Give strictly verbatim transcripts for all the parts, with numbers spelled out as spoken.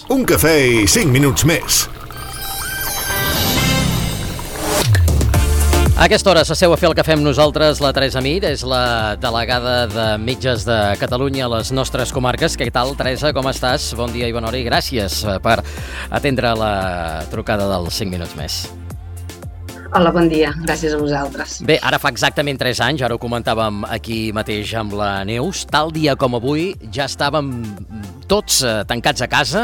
Un cafè i cinc minuts més. A aquesta hora s'asseu a fer el que fem nosaltres la Teresa Mir, és la delegada de Metges de Catalunya a les nostres comarques. Què tal, Teresa? Com estàs? Bon dia i bona hora i gràcies per atendre la trucada dels cinc minuts més. Hola, bon dia. Gràcies a vosaltres. Bé, ara fa exactament tres anys, ara ho comentàvem aquí mateix amb la Neus, tal dia com avui ja estàvem tots eh, tancats a casa,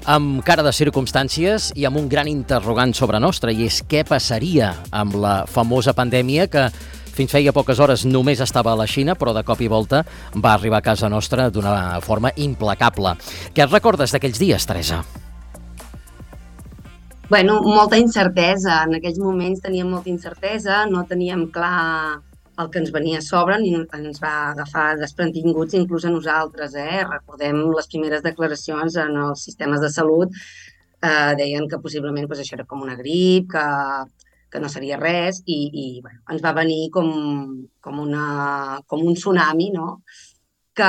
amb cara de circumstàncies i amb un gran interrogant sobre nostra, i és què passaria amb la famosa pandèmia que fins feia poques hores només estava a la Xina, però de cop i volta va arribar a casa nostra d'una forma implacable. Què et recordes d'aquells dies, Teresa? Bueno, molta incertesa. En aquells moments teníem molta incertesa, no teníem clar el que ens venia a sobre, ni ens va agafar desprevinguts inclús a nosaltres. Eh? Recordem les primeres declaracions en els sistemes de salut, eh, deien que possiblement pues, això era com una grip, que, que no seria res, i, i bueno, ens va venir com, com, una, com un tsunami, no? que,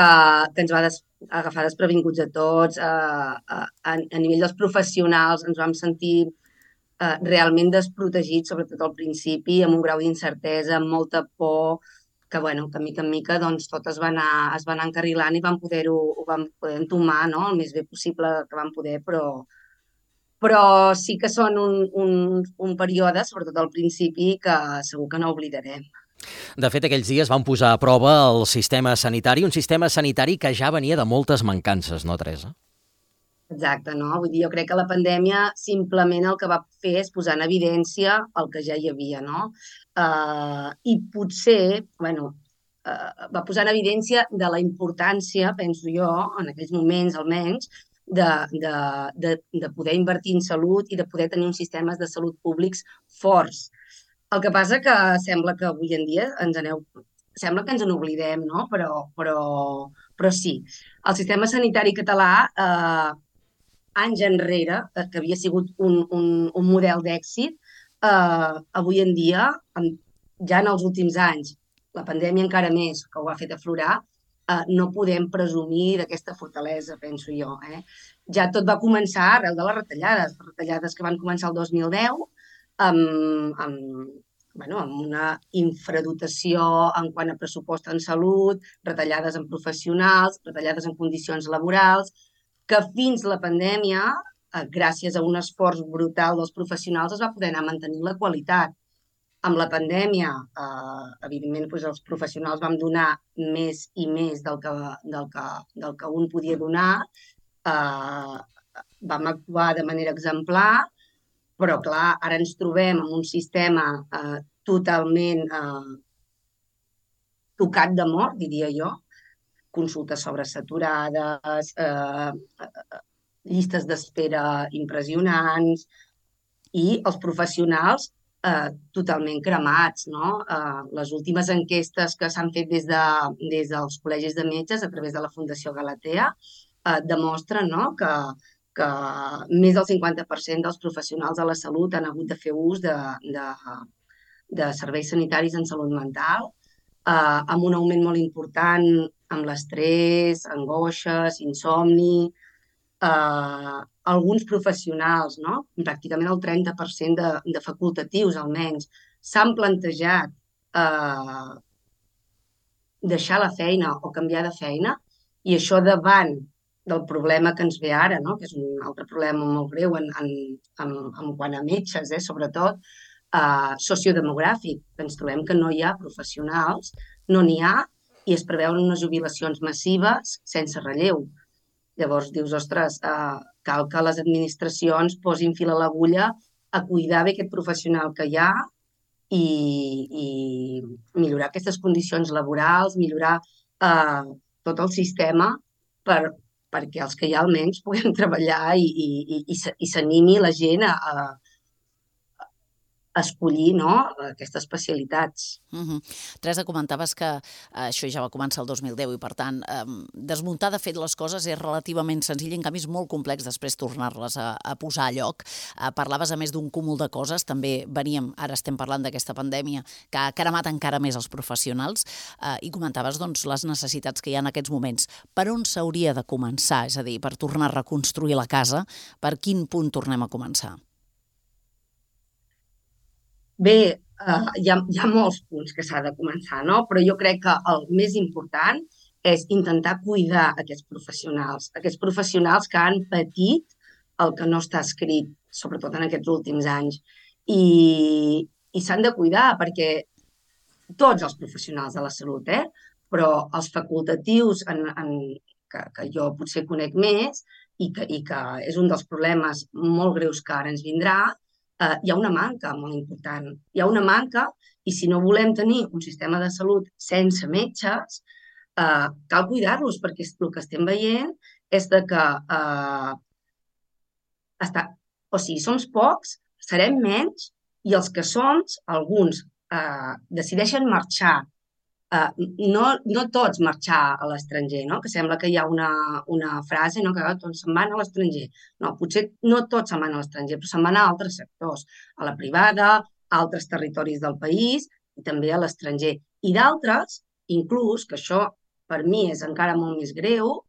que ens va des, agafar desprevinguts a tots. Eh, a, a nivell dels professionals ens vam sentir eh, realment desprotegits, sobretot al principi, amb un grau d'incertesa, amb molta por, que, bueno, que mica en mica doncs, tot es va anar, es va anar encarrilant i vam poder-ho ho vam poder entomar, no? El més bé possible que vam poder, però, però sí que són un, un, un període, sobretot al principi, que segur que no oblidarem. De fet, aquells dies van posar a prova el sistema sanitari, un sistema sanitari que ja venia de moltes mancances, no, Teresa? Exacte, no? Vull dir, jo crec que la pandèmia simplement el que va fer és posar en evidència el que ja hi havia, no? Uh, I potser, bueno, uh, va posar en evidència de la importància, penso jo, en aquells moments almenys, de, de, de, de poder invertir en salut i de poder tenir uns sistemes de salut públics forts. El que passa que sembla que avui en dia ens aneu... Sembla que ens en oblidem, no? Però, però, però sí. El sistema sanitari català, eh, anys enrere, que havia sigut un, un, un model d'èxit, eh, avui en dia, ja en els últims anys, la pandèmia encara més, que ho ha fet aflorar, eh, no podem presumir d'aquesta fortalesa, penso jo. Eh? Ja tot va començar arrel de les retallades, les retallades que van començar el dos mil deu, amb, amb, bueno, amb una infradotació en quant a pressupost en salut, retallades en professionals, retallades en condicions laborals, que fins la pandèmia, eh, gràcies a un esforç brutal dels professionals, es va poder anar mantenint la qualitat. Amb la pandèmia, eh, evidentment, doncs, els professionals vam donar més i més del que, del que, del que un podia donar, eh, vam actuar de manera exemplar, però, clar, ara ens trobem en un sistema eh, totalment eh, tocat de mort, diria jo, consultes sobresaturades, eh, llistes d'espera impressionants i els professionals eh, totalment cremats, no? Eh, les últimes enquestes que s'han fet des, de, des dels col·legis de metges a través de la Fundació Galatea eh, demostren, no?, que que més del cinquanta per cent dels professionals de la salut han hagut de fer ús de, de, de serveis sanitaris en salut mental, eh, amb un augment molt important amb l'estrès, angoixes, insomni. Eh, alguns professionals, no? Pràcticament el trenta per cent de, de facultatius, almenys, s'han plantejat eh, deixar la feina o canviar de feina, i això davant del problema que ens ve ara, no? Que és un altre problema molt greu en, en, en, en quant a metges, eh? Sobretot eh, sociodemogràfic. Ens trobem que no hi ha professionals, no n'hi ha, i es preveuen unes jubilacions massives sense relleu. Llavors dius, ostres, eh, cal que les administracions posin fil a l'agulla a cuidar bé aquest professional que hi ha i, i millorar aquestes condicions laborals, millorar eh, tot el sistema per perquè els que hi ha almenys puguem treballar i, i, i, i s'animi la gent a, escollir, no?, aquestes especialitats. Uh-huh. Teresa, comentaves que eh, això ja va començar el dos mil deu i, per tant, eh, desmuntar de fet les coses és relativament senzill, en canvi és molt complex després tornar-les a, a posar a lloc. Eh, parlaves a més d'un cúmul de coses, també veníem, ara estem parlant d'aquesta pandèmia que ha cremat encara més els professionals, eh, i comentaves doncs, les necessitats que hi ha en aquests moments. Per on s'hauria de començar? És a dir, per tornar a reconstruir la casa, per quin punt tornem a començar? Bé, uh, hi, ha, hi ha molts punts que s'ha de començar, no? Però jo crec que el més important és intentar cuidar aquests professionals, aquests professionals que han patit el que no està escrit, sobretot en aquests últims anys. I, i s'han de cuidar perquè tots els professionals de la salut, eh? Però els facultatius en, en, que, que jo potser conec més i que, i que és un dels problemes molt greus que ara ens vindrà, Uh, hi ha una manca molt important. Hi ha una manca i si no volem tenir un sistema de salut sense metges, uh, cal cuidar-los perquè el que estem veient és de que uh, està, o sigui, som pocs, serem menys i els que som, alguns uh, decideixen marxar. Uh, no, no tots marxar a l'estranger, no? Que sembla que hi ha una, una frase, no? Que tots se'n van a l'estranger. No, potser no tots se'n van a l'estranger, però se'n van a altres sectors, a la privada, a altres territoris del país i també a l'estranger. I d'altres, inclús, que això per mi és encara molt més greu,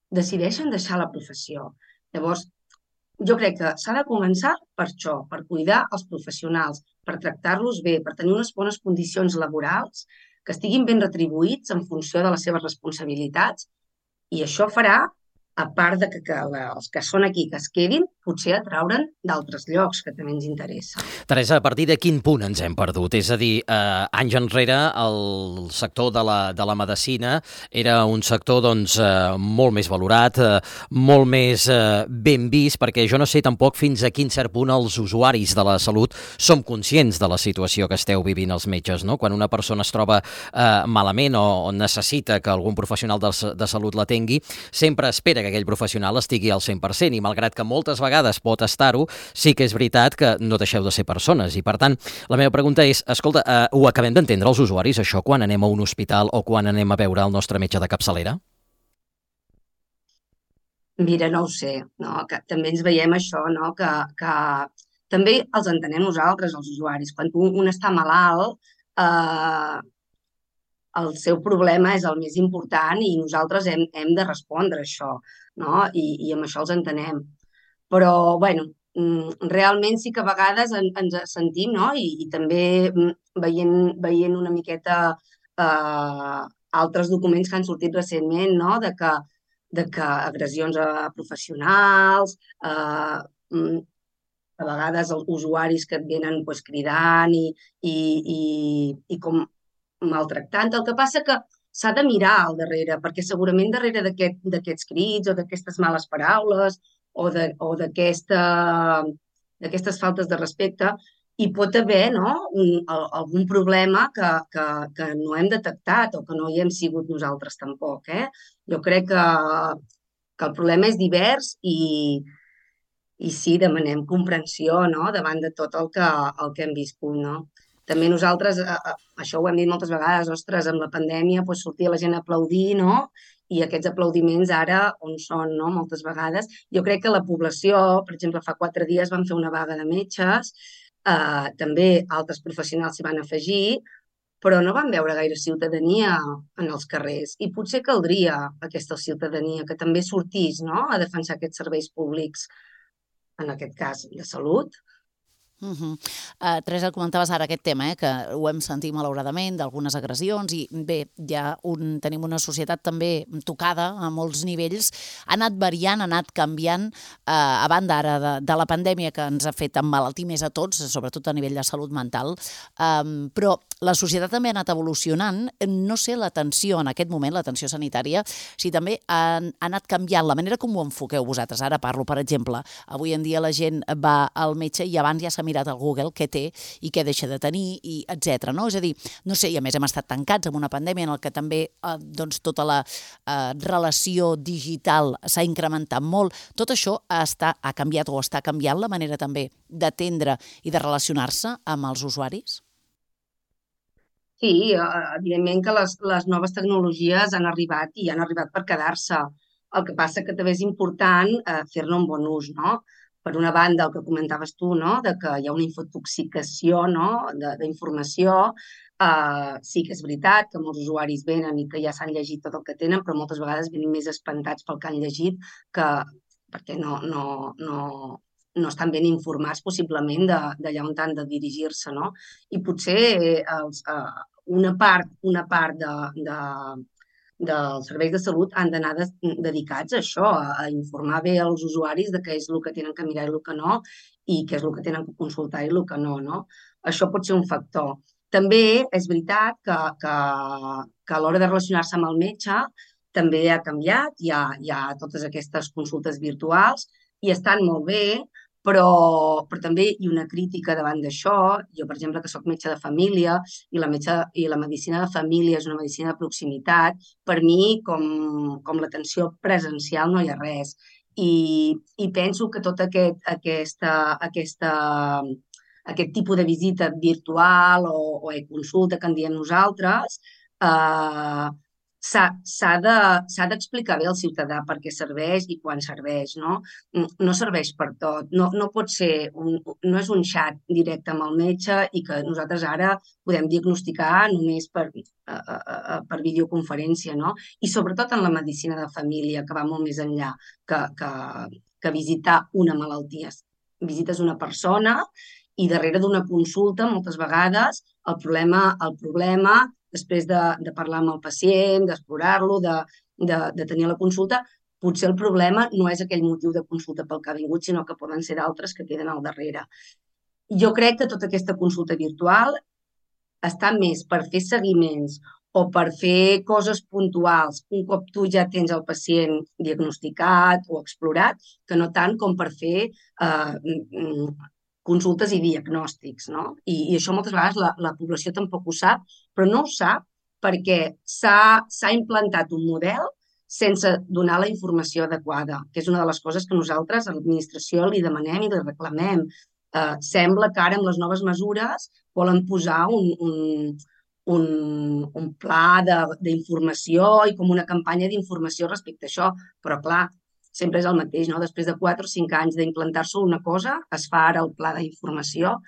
decideixen deixar la professió. Llavors, jo crec que s'ha de començar per això, per cuidar els professionals, per tractar-los bé, per tenir unes bones condicions laborals, que estiguin ben retribuïts en funció de les seves responsabilitats i això farà, a part de que, que els que són aquí, que es quedin, potser atraure'n d'altres llocs que també ens interessa. Teresa, a partir de quin punt ens hem perdut? És a dir, eh, anys enrere el sector de la, de la medicina era un sector doncs, eh, molt més valorat, eh, molt més eh, ben vist, perquè jo no sé tampoc fins a quin cert punt els usuaris de la salut som conscients de la situació que esteu vivint els metges, no? Quan una persona es troba eh, malament o, o necessita que algun professional de, de salut l'atengui, sempre espera que aquell professional estigui al cent per cent i malgrat que moltes vegades pot estar-ho, sí que és veritat que no deixeu de ser persones i per tant la meva pregunta és, escolta, eh, ho acabem d'entendre els usuaris això quan anem a un hospital o quan anem a veure el nostre metge de capçalera? Mira, no ho sé, no? Que també ens veiem això, no? Que, que també els entenem nosaltres, els usuaris. Quan un està malalt, eh, el seu problema és el més important i nosaltres hem, hem de respondre a això, no? I, i amb això els entenem. Però, bueno, realment sí que a vegades en, ens sentim, no? I, i també veient, veient una miqueta eh, altres documents que han sortit recentment, no? De que, de que agressions a professionals, eh, a vegades els usuaris que et venen pues, cridant i, i, i, i com maltractant. El que passa que s'ha de mirar al darrere, perquè segurament darrere d'aquests aquest, crits o d'aquestes males paraules o d'aquestes aquesta, faltes de respecte hi pot haver no, un, algun problema que, que, que no hem detectat o que no hi hem sigut nosaltres tampoc. Eh? Jo crec que, que el problema és divers i, i sí, demanem comprensió no, davant de tot el que, el que hem viscut. No? També nosaltres, això ho hem dit moltes vegades, ostres, amb la pandèmia doncs, sortia la gent a aplaudir, no? I aquests aplaudiments ara on són, no? Moltes vegades. Jo crec que la població, per exemple, fa quatre dies van fer una vaga de metges, eh, també altres professionals s'hi van afegir, però no van veure gaire ciutadania en els carrers. I potser caldria aquesta ciutadania que també sortís no? A defensar aquests serveis públics, en aquest cas de salut. Uh -huh. uh, Teresa, comentaves ara aquest tema, eh, que ho hem sentit malauradament d'algunes agressions i bé, ja un, tenim una societat també tocada a molts nivells, ha anat variant, ha anat canviant uh, a banda ara de, de la pandèmia que ens ha fet emmalaltir més a tots, sobretot a nivell de salut mental, um, però la societat també ha anat evolucionant. No sé l'atenció en aquest moment, l'atenció sanitària, si també ha, ha anat canviant la manera com ho enfoqueu vosaltres. Ara parlo, per exemple, avui en dia la gent va al metge i abans ja s'ha mirat al Google què té i què deixa de tenir, i etcètera. No? És a dir, no sé, i a més hem estat tancats amb una pandèmia en què també eh, doncs, tota la eh, relació digital s'ha incrementat molt. Tot això està, ha canviat o està canviant la manera també d'atendre i de relacionar-se amb els usuaris? Sí, evidentment que les, les noves tecnologies han arribat i han arribat per quedar-se. El que passa que també és important eh, fer-ne un bon ús, no? Per una banda, el que comentaves tu, no? De que hi ha una infotoxicació, no? d'informació. Uh, sí que és veritat que molts usuaris venen i que ja s'han llegit tot el que tenen, però moltes vegades venen més espantats pel que han llegit que perquè no, no, no, no estan ben informats possiblement d'allà on han de dirigir-se, no? I potser els, uh, una part, una part de, de, dels serveis de salut han d'anar de, dedicats a això, a, a informar bé els usuaris de què és el que tenen que mirar i el que no, i què és el que tenen que consultar i el que no, no? Això pot ser un factor. També és veritat que, que, que a l'hora de relacionar-se amb el metge també ha canviat, hi ha, hi ha totes aquestes consultes virtuals i estan molt bé, però, però també hi ha una crítica davant d'això. Jo, per exemple, que soc metge de família i la, metge, i la medicina de família és una medicina de proximitat, per mi, com, com l'atenció presencial, no hi ha res. I, i penso que tot aquest, aquesta, aquesta, aquest tipus de visita virtual o, o e-consulta que en diem nosaltres eh, s'ha d'explicar bé al ciutadà per què serveix i quan serveix, no? No serveix per tot. No, no pot ser, un, no és un xat directe amb el metge i que nosaltres ara podem diagnosticar només per, uh, per videoconferència, no? I sobretot en la medicina de família, que va molt més enllà que, que, que visitar una malaltia. Visites una persona i darrere d'una consulta, moltes vegades, el problema, el problema després de, de parlar amb el pacient, d'explorar-lo, de, de, de tenir la consulta, potser el problema no és aquell motiu de consulta pel que ha vingut, sinó que poden ser d'altres que queden al darrere. Jo crec que tota aquesta consulta virtual està més per fer seguiments o per fer coses puntuals un cop tu ja tens el pacient diagnosticat o explorat, que no tant com per fer eh, consultes i diagnòstics, no? I, i això moltes vegades la, la població tampoc ho sap, però no ho sap perquè s'ha implantat un model sense donar la informació adequada, que és una de les coses que nosaltres a l'administració li demanem i li reclamem. Eh, sembla que ara amb les noves mesures volen posar un, un, un, un pla d'informació i com una campanya d'informació respecte a això, però clar, sempre és el mateix, no? Després de quatre o cinc anys d'implantar-se una cosa, es fa ara el pla d'informació,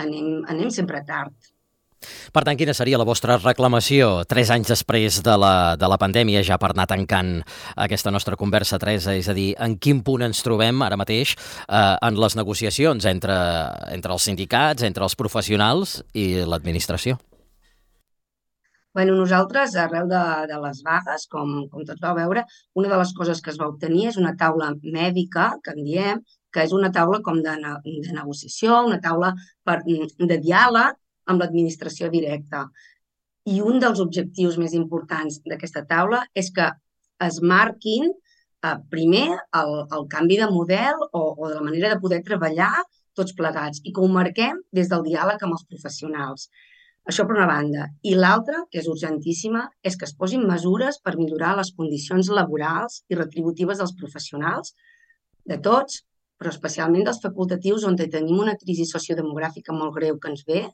anem, anem sempre tard. Per tant, quina seria la vostra reclamació tres anys després de la, de la pandèmia, ja per anar tancant aquesta nostra conversa, Teresa? És a dir, en quin punt ens trobem ara mateix eh, en les negociacions entre, entre els sindicats, entre els professionals i l'administració? Bueno, nosaltres, arreu de, de les vagues, com, com tots vau veure, una de les coses que es va obtenir és una taula mèdica, que en diem, que és una taula com de, de negociació, una taula per, de diàleg amb l'administració directa. I un dels objectius més importants d'aquesta taula és que es marquin eh, primer el, el canvi de model o, o de la manera de poder treballar tots plegats i que ho marquem des del diàleg amb els professionals. Això per una banda. I l'altra, que és urgentíssima, és que es posin mesures per millorar les condicions laborals i retributives dels professionals, de tots, però especialment dels facultatius, on tenim una crisi sociodemogràfica molt greu que ens ve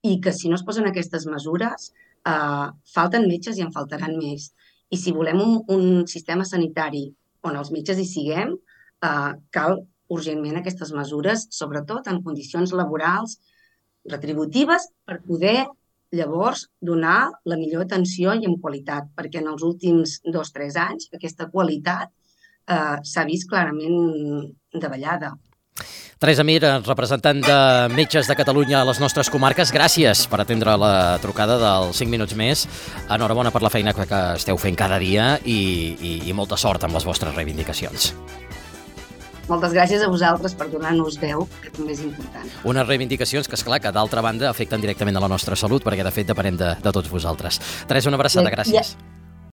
i que si no es posen aquestes mesures, eh, falten metges i en faltaran més. I si volem un, un sistema sanitari on els metges hi siguem, eh, cal urgentment aquestes mesures, sobretot en condicions laborals retributives, per poder llavors donar la millor atenció i amb qualitat, perquè en els últims dos o tres anys aquesta qualitat eh, s'ha vist clarament davallada. Teresa Mir, representant de Metges de Catalunya a les nostres comarques, gràcies per atendre la trucada dels cinc minuts més. Enhorabona per la feina que esteu fent cada dia i, i, i molta sort amb les vostres reivindicacions. Moltes gràcies a vosaltres per donar-nos veu, que també és important. Unes reivindicacions que, esclar, que d'altra banda afecten directament a la nostra salut, perquè de fet depenem de, de tots vosaltres. Teresa, una abraçada, gràcies. Ja.